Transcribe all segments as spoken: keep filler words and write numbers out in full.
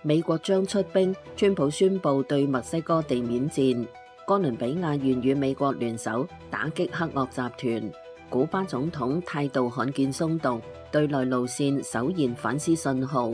美國將出兵，川普宣布對墨西哥地面戰。哥倫比亞願與美國聯手打擊黑惡集團。古巴總統態度罕見鬆動，對內路線首現反思信號。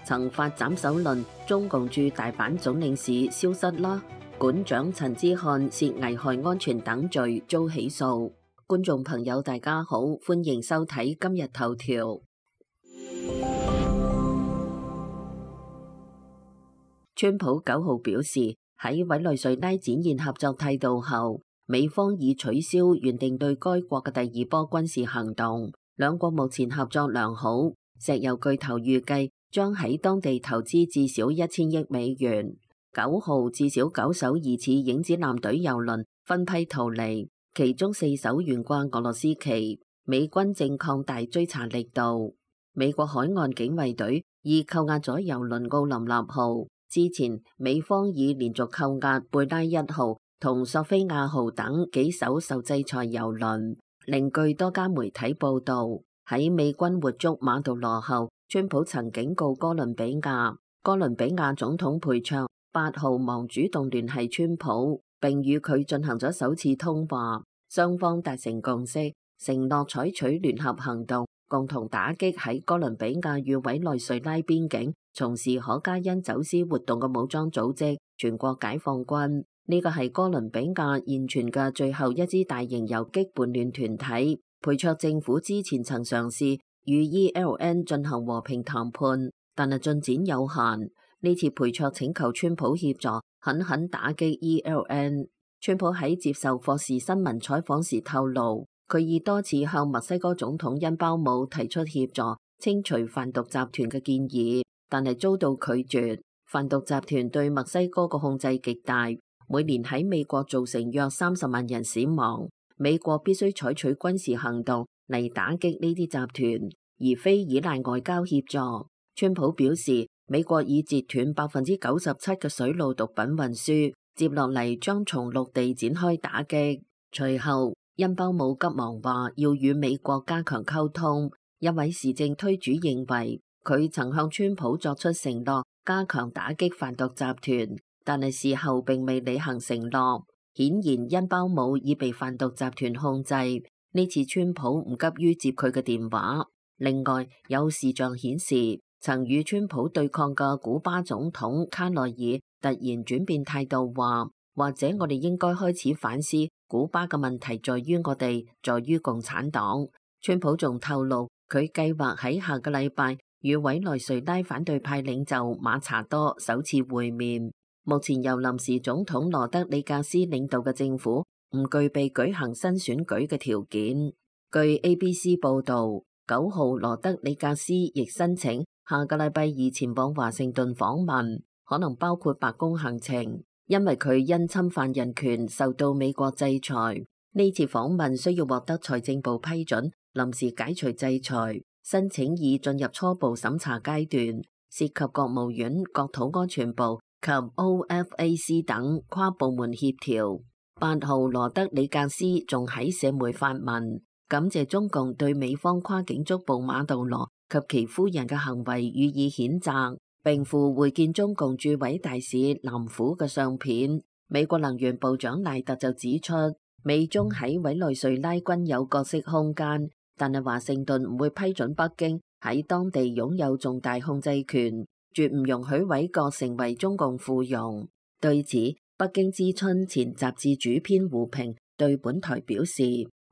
曾發斬首論，中共駐大阪總領事消失啦。館長陳之漢涉危害安全等罪遭起訴。觀眾朋友大家好，歡迎收睇今日頭條。川普九號表示，喺委內瑞拉展現合作態度後，美方已取消原定對該國嘅第二波軍事行動。兩國目前合作良好，石油巨頭預計將喺當地投資至少一千億美元。九號至少九艘疑似影子艦隊油輪分批逃離，其中四艘懸掛俄羅斯旗。美軍正擴大追查力度。美國海岸警衛隊已扣押咗油輪奧林納號。之前美方已連續扣押貝拉一號同索菲亞號等幾艘受制裁油輪。另據多家媒體報道，喺美軍活捉馬杜羅後，川普曾警告哥倫比亞，哥倫比亞總統佩卓八號忙主動聯繫川普，並與佢進行咗首次通話，雙方達成共識，承諾採取聯合行動，共同打擊喺哥倫比亞與委內瑞拉邊境從事可卡因走私活動嘅武裝組織全國解放軍。呢個係哥倫比亞現存嘅最後一支大型游擊叛亂團體。佩卓政府之前曾嘗試與 E L N 進行和平談判，但係進展有限。呢次佩卓請求川普協助，狠狠打擊 E L N。川普喺接受霍士新聞採訪時透露，佢已多次向墨西哥總統恩包姆提出協助清除販毒集團嘅建議，但係遭到拒絕。販毒集團對墨西哥嘅控制極大，每年喺美國造成約三十萬人死亡。美國必須採取軍事行動嚟打擊呢啲集團，而非依賴外交協助。川普表示，美國已截斷百分之九十七嘅水路毒品運輸，接落嚟將從陸地展開打擊。隨後，恩包姆急忙話要與美國加強溝通。一位時政推主認為，佢曾向川普作出承諾，加強打擊販毒集團，但係事後並未履行承諾。顯然，恩包姆已被販毒集團控制。呢次川普唔急於接佢嘅電話。另外，有視像顯示，曾與川普對抗嘅古巴總統卡內爾突然轉變態度，話或者我哋應該開始反思，古巴嘅問題在於我哋，在於共產黨。川普仲透露，佢計劃喺下個禮拜與委內瑞拉反對派領袖馬查多首次會面。目前由臨時總統羅德里格斯領導嘅政府唔具備舉行新選舉嘅條件。據 A B C 報道，九號羅德里格斯亦申請下個禮拜二前往華盛頓訪問，可能包括白宮行程，因為佢因侵犯人權受到美國制裁。呢次訪問需要獲得財政部批准，臨時解除制裁。申請已進入初步審查階段，涉及國務院、國土安全部及 O F A C 等跨部門協調。八號羅德里格斯仲喺社媒發文，感謝中共對美方跨境捉捕馬杜羅及其夫人嘅行為予以譴責，並附會見中共駐委大使南虎嘅相片。美國能源部長賴特就指出，美中喺委內瑞拉均有角色空間，但係華盛頓唔會批准北京喺當地擁有重大控制權，絕唔容許委國成為中共附庸。對此，北京之春前雜誌主編胡平對本台表示，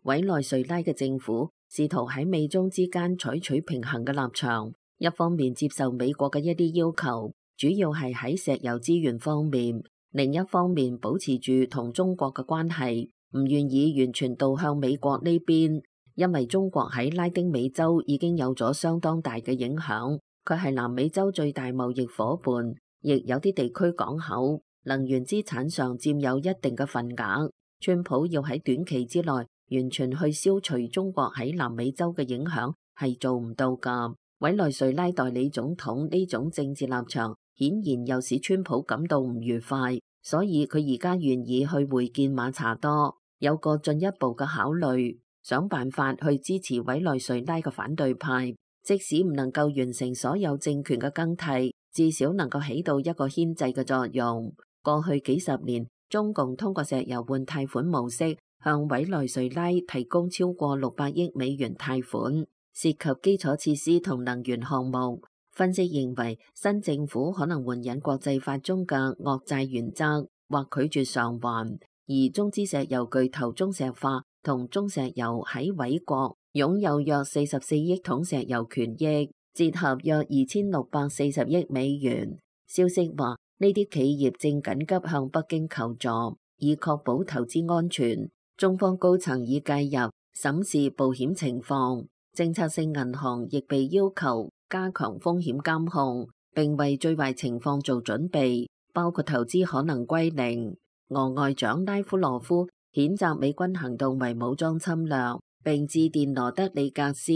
委內瑞拉嘅政府試圖喺美中之間採取平衡嘅立場，一方面接受美國嘅一啲要求，主要係喺石油資源方面，另一方面保持住同中國嘅關係，唔願意完全倒向美國呢邊，因為中國喺拉丁美洲已經有咗相當大嘅影響，佢係南美洲最大貿易夥伴，亦有啲地區港口、能源資產上佔有一定嘅份額。川普要喺短期之內完全去消除中國喺南美洲嘅影響係做唔到㗎。委內瑞拉代理總統呢種政治立場顯然又使川普感到唔愉快，所以佢而家願意去會見馬查多，有個進一步嘅考慮，想辦法去支持委內瑞拉嘅反對派，即使唔能夠完成所有政權嘅更替，至少能夠起到一個牽制嘅作用。過去幾十年，中共通過石油換貸款模式向委內瑞拉提供超過六百億美元貸款，涉及基礎設施同能源項目。分析認為，新政府可能援引國際法中嘅惡債原則，或拒絕償還。而中資石油巨頭中石化同中石油喺委國擁有約四十四億桶石油權益，折合約二千六百四十億美元。消息話，呢啲企業正緊急向北京求助，以確保投資安全。中方高層已介入審視保險情況，政策性銀行亦被要求加強風險監控，並為最壞情況做準備，包括投資可能歸零。俄外長拉夫羅夫譴責美軍行動為武裝侵略，並致電羅德里格斯。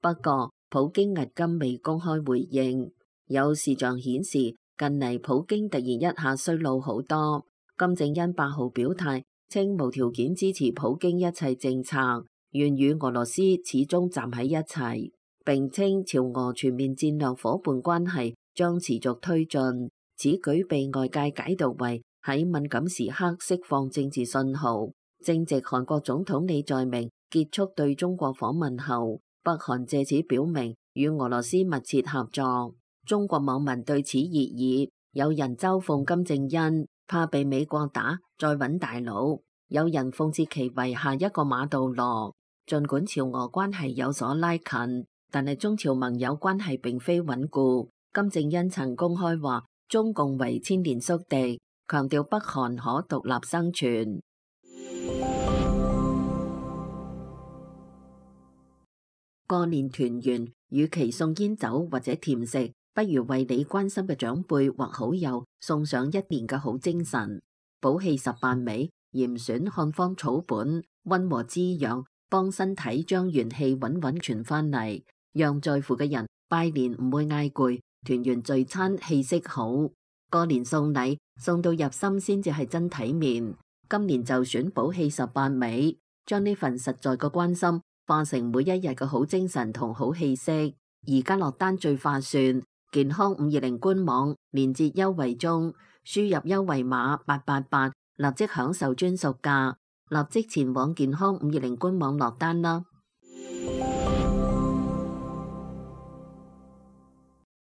不過，普京至今未公開回應。有視像顯示，近嚟普京突然一下衰老好多。金正恩八號表態，稱無條件支持普京一切政策，願與俄羅斯始終站喺一齊，並稱朝俄全面戰略夥伴關係將持續推進。此舉被外界解讀為喺敏感時刻釋放政治信號。正值韓國總統李在明結束對中國訪問後，北韓借此表明與俄羅斯密切合作。中國網民對此熱議，有人嘲諷金正恩怕被美國打，再揾大佬；有人諷刺其為下一個馬杜羅。儘管朝俄關係有所拉近，但係中朝盟友關係並非穩固。金正恩曾公開話中共為千年宿敵，強調北韓可獨立生存。過年團圓，與其送煙酒或者甜食，不如為你關心嘅長輩或好友送上一年嘅好精神。補氣十八味，嚴選漢方草本，溫和滋養，幫身體將元氣穩穩傳返嚟，讓在乎嘅人拜年唔會嗌攰，團圓聚餐氣息好。過年送禮，送到入心先至係真體面。今年就選補氣十八味，將呢份實在嘅關心化成每一日嘅好精神同好氣息。而家落單最划算，健康五二零官網連結優惠中，輸入優惠碼八八八，立即享受專屬價，立即前往健康五二零官網落單啦！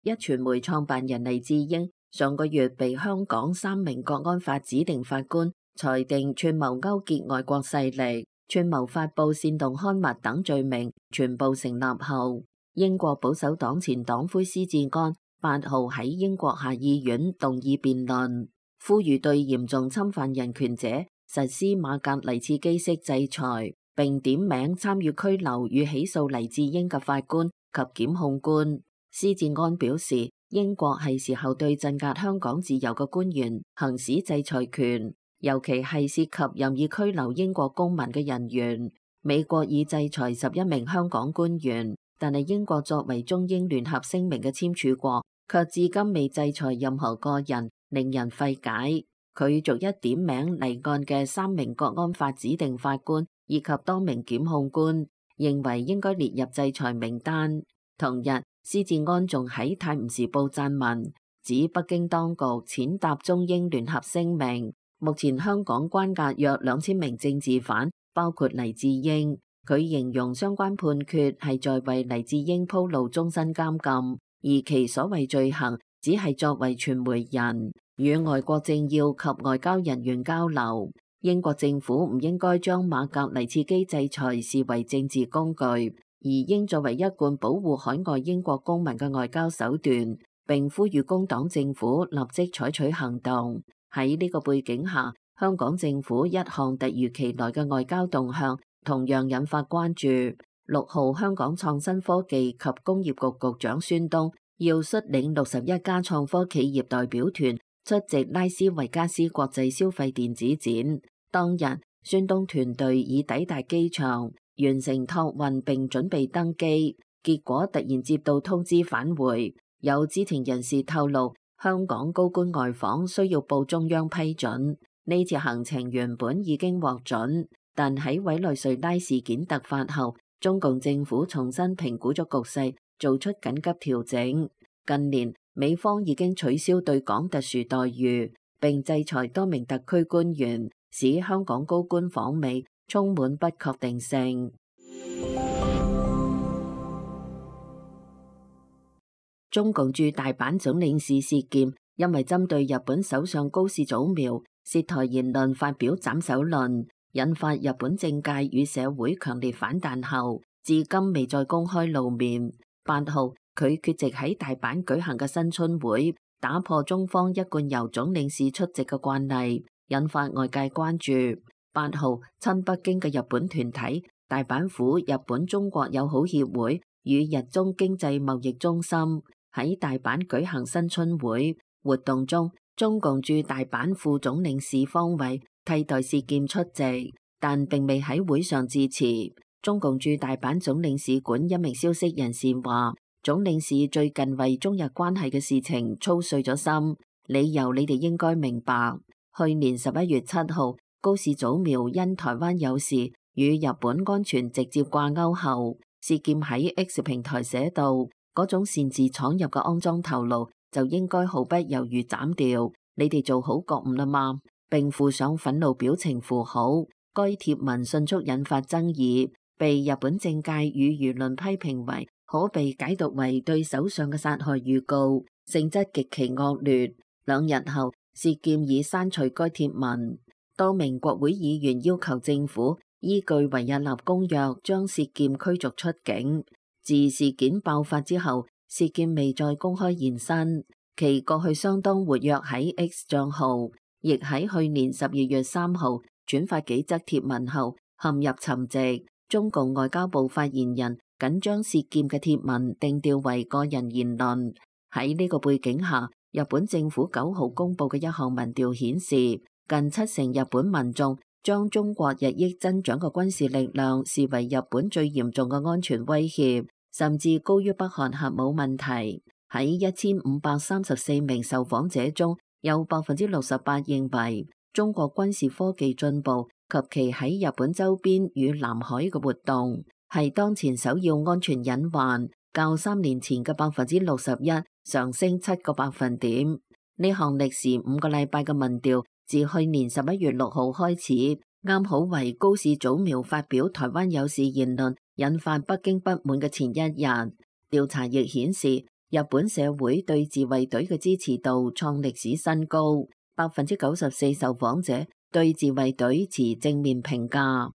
壹傳媒創辦人黎智英上個月被香港三名國安法指定法官裁定串謀勾結外國勢力、串謀發布煽動刊物等罪名全部成立後，英國保守黨前黨魁施志安八號喺英國下議院動議辯論，呼籲對嚴重侵犯人權者實施馬格尼茨基式制裁，並點名參與拘留與起訴黎智英嘅法官及檢控官。施志安表示，英國係時候對鎮壓香港自由嘅官員行使制裁權，尤其係涉及任意拘留英國公民嘅人員。美國已制裁十一名香港官員，但係英國作為中英聯合聲明嘅簽署國，卻至今未制裁任何個人，令人費解。佢逐一點名離案嘅三名國安法指定法官以及多名檢控官，認為應該列入制裁名單。同日，施志安仲喺《泰晤士報》撰文，指北京當局踐踏中英聯合聲明。目前香港關押約兩千名政治犯，包括黎智英。佢形容相關判決係在為黎智英鋪路終身監禁，而其所謂罪行只係作為傳媒人與外國政要及外交人員交流。英國政府唔應該將馬格尼茨基制裁視為政治工具，而應作為一貫保護海外英國公民嘅外交手段，並呼籲工黨政府立即採取行動。喺呢個背景下，香港政府一項突如其來嘅外交動向同樣引發關注。六號，香港創新科技及工業局局長孫東要率領六十一家創科企業代表團出席拉斯維加斯國際消費電子展。當日，孫東團隊已抵達機場，完成託運並準備登機，結果突然接到通知返回。有知情人士透露，香港高官外訪需要報中央批准。呢次行程原本已經獲准，但喺委內瑞拉事件突發後，中共政府重新評估咗局勢，做出緊急調整。近年，美方已經取消對港特殊待遇，並制裁多名特區官員，使香港高官訪美充滿不確定性。中共駐大阪總領事事件，因為針對日本首相高市早苗涉台言論發表斬首論，引發日本政界與社會強烈反彈後，至今未再公開露面。八號，佢缺席喺大阪舉行嘅新春會，打破中方一貫由總領事出席嘅慣例，引發外界關注。八號，親北京嘅日本團體大阪府日本中國友好協會與日中經濟貿易中心喺大阪舉行新春會活動中，中共駐大阪副總領事方偉替代事件出席，但並未喺會上致辭。中共駐大阪總領事館一名消息人士話，總領事最近為中日關係嘅事情操碎咗心，理由你哋應該明白。去年十一月七號，高市早苗因台灣有事與日本安全直接掛鈎後，事件喺 X 平台寫到，嗰種擅自闖入嘅骯髒頭顱就應該毫不猶豫斬掉。你哋做好覺悟啦嘛，並附上憤怒表情符號。該貼文迅速引發爭議，被日本政界與輿論批評為可被解讀為對首相嘅殺害預告，性質極其惡劣。兩日後，事件已刪除該貼文。多名國會議員要求政府依據維也納公約將事件驅逐出境。自事件爆發之後，事件未再公開現身。其過去相當活躍喺 X 賬號，亦喺去年十二月三號轉發幾則貼文後陷入沉寂。中共外交部發言人僅將事件嘅貼文定調為個人言論。喺呢個背景下，日本政府九號公布嘅一項民調顯示，近七成日本民眾將中國日益增長嘅軍事力量視為日本最嚴重嘅安全威脅，甚至高於北韓核武問題。喺一千五百三十四名受訪者中，有百分之六十八認為中國軍事科技進步及其喺日本周邊與南海嘅活動係當前首要安全隱患，較三年前嘅百分之六十一上升七個百分點。呢項歷時五個禮拜嘅民調，自去年十一月六號開始，啱好為高市早苗發表台灣有事言論引發北京不滿嘅前一日。調查亦顯示，日本社會對自衛隊嘅支持度創歷史新高，百分之九十四受訪者對自衛隊持正面評價。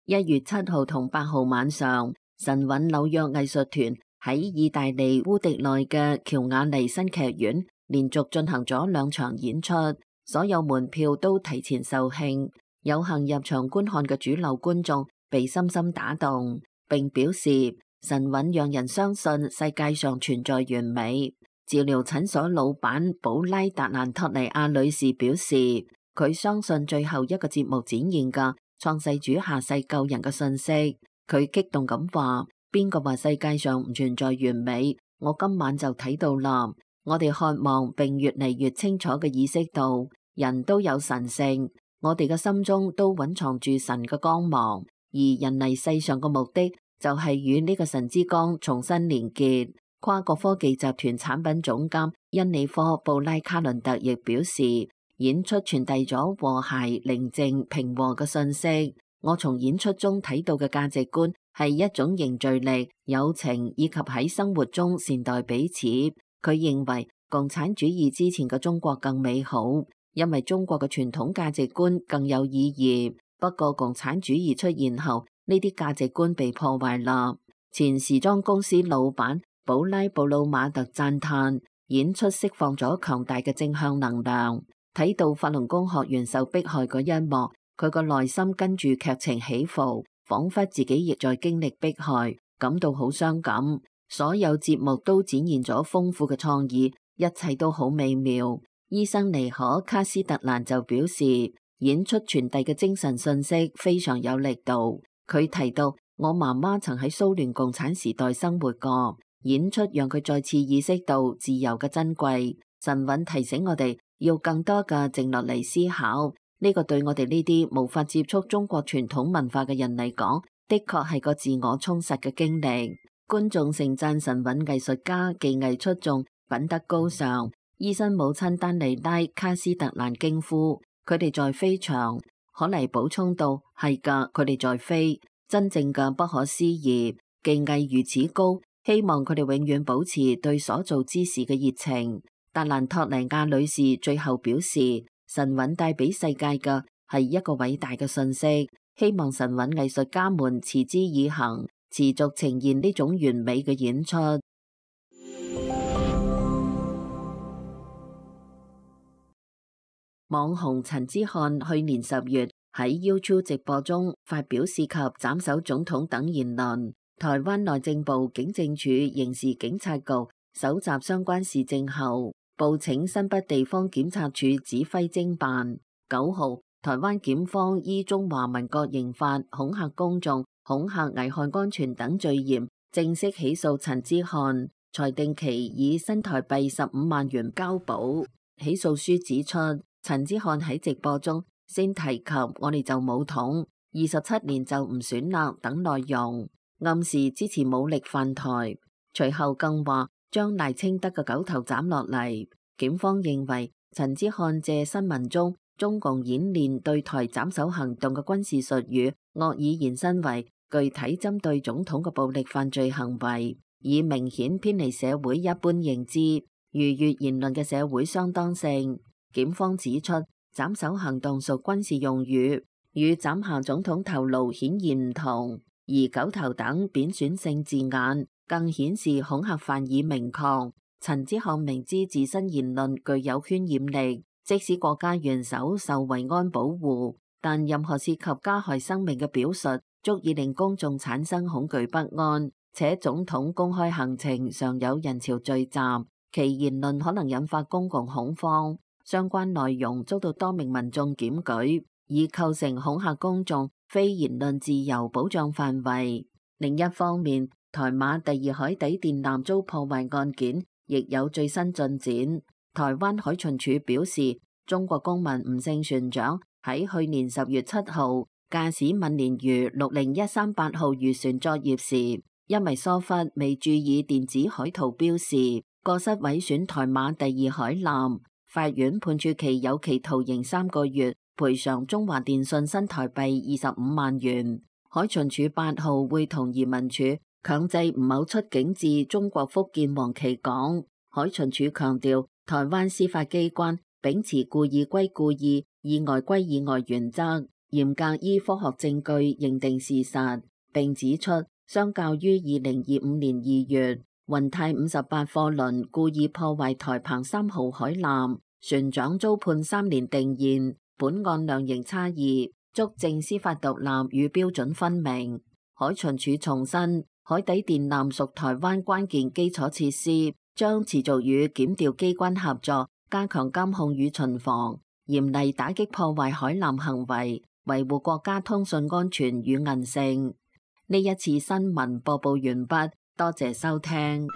一月七號同八號晚上，神韻紐約藝術團喺意大利烏迪內嘅喬瓦尼新劇院連續進行咗兩場演出，所有門票都提前售罄。有幸入場觀看嘅主流觀眾被深深打動，並表示神韻讓人相信世界上存在完美。治療診所老闆保拉達蘭托尼亞女士表示，佢相信最後一個節目展現嘅創世主下世救人嘅信息。佢激動咁話：邊個話世界上唔存在完美？我今晚就睇到啦。我哋渴望並越嚟越清楚嘅意識到，人都有神性，我哋嘅心中都蘊藏住神嘅光芒，而人嚟世上嘅目的就係與呢個神之光重新連結。跨國科技集團產品總監恩里科布拉卡倫特亦表示，演出傳遞咗和諧、寧靜、平和嘅信息。我從演出中睇到嘅價值觀係一種凝聚力、友情以及喺生活中善待彼此。佢認為共產主義之前嘅中國更美好，因為中國嘅傳統價值觀更有意義。不過共產主義出現後，呢啲價值觀被破壞啦。前時裝公司老闆保拉布魯馬特讚嘆演出釋放咗強大嘅正向能量。睇到法輪功學員受迫害嗰一幕，佢個內心跟住劇情起伏，仿佛自己亦在經歷迫害，感到好傷感。所有節目都展現咗豐富嘅創意，一切都好美妙。醫生尼可卡斯特蘭就表示，演出傳遞嘅精神信息非常有力度。佢提到，我媽媽曾喺蘇聯共產時代生活過。演出讓佢再次意識到自由嘅珍貴。神韻提醒我哋要更多嘅靜落嚟思考，呢個對我哋呢啲無法接觸中國傳統文化嘅人嚟講的確係個自我充實嘅經歷。觀眾盛讚神韻藝術家技藝出眾、品德高尚。醫生母親丹尼拉·卡斯特蘭驚呼：佢哋在飛翔。可妮補充道：係㗎，佢哋在飛，真正嘅不可思議，技藝如此高，希望佢哋永遠保持對所做之事嘅熱情。達蘭托尼亞女士最後表示：神韻帶俾世界嘅係一個偉大嘅訊息，希望神韻藝術家們持之以恆，持續呈現呢種完美嘅演出。網紅陳之漢去年十月喺 YouTube 直播中發表涉及斬首總統等言論，台灣內政部警政署刑事警察局搜集相關事證後，報請新北地方檢察署指揮偵辦。九號，台灣檢方依中華民國刑法恐嚇公眾、恐嚇危害安全等罪嫌，正式起訴陳之漢，裁定其以新台幣十五萬元交保。起訴書指出，陳之漢喺直播中先提及我哋就武統，二十七年就唔選啦等內容，暗示支持武力犯台。隨後更話將賴清德嘅狗頭斬落嚟。檢方認為陳之漢借新聞中中共演練對台斬首行動嘅軍事術語，惡意延伸為具體針對總統嘅暴力犯罪行為，以明顯偏離社會一般認知，逾越言論嘅社會相當性。檢方指出，斬首行動屬軍事用語，與斬下總統頭顱顯然唔同，而狗頭等貶損性字眼更顯示恐嚇犯意明確。陳之漢明知自身言論具有渲染力，即使國家元首受維安保護，但任何涉及加害生命嘅表述，足以令公眾產生恐懼不安，且總統公開行程常有人潮聚集，其言論可能引發公共恐慌。相關內容遭到多名民眾檢舉，已構成恐嚇公眾、非言論自由保障範圍。另一方面，台馬第二海底電纜遭破壞案件亦有最新進展。台灣海巡署表示，中國公民吳姓船長喺去年十月七號駕駛閩鯰魚六零一三八號漁船作業時，因為疏忽未注意電子海圖標示，過失毀損台馬第二海纜。法院判處其有期徒刑三個月，賠償中華電信新台幣二十五萬元。海巡署八號會同移民署強制吳某出境至中國福建黃岐港。海巡署強調，台灣司法機關秉持故意歸故意、意外歸意外原則，嚴格依科學證據認定事實。並指出，相較於二零二五年二月雲泰五十八貨輪故意破壞台澎三號海纜，船長遭判三年定讞，本案量刑差異，足證司法獨立與標準分明。海巡署重申，海底電纜屬台灣關鍵基礎設施，將持續與檢調機關合作，加強監控與巡防，嚴厲打擊破壞海纜行為，維護國家通訊安全與韌性。呢一次新聞播報完畢，多謝收聽。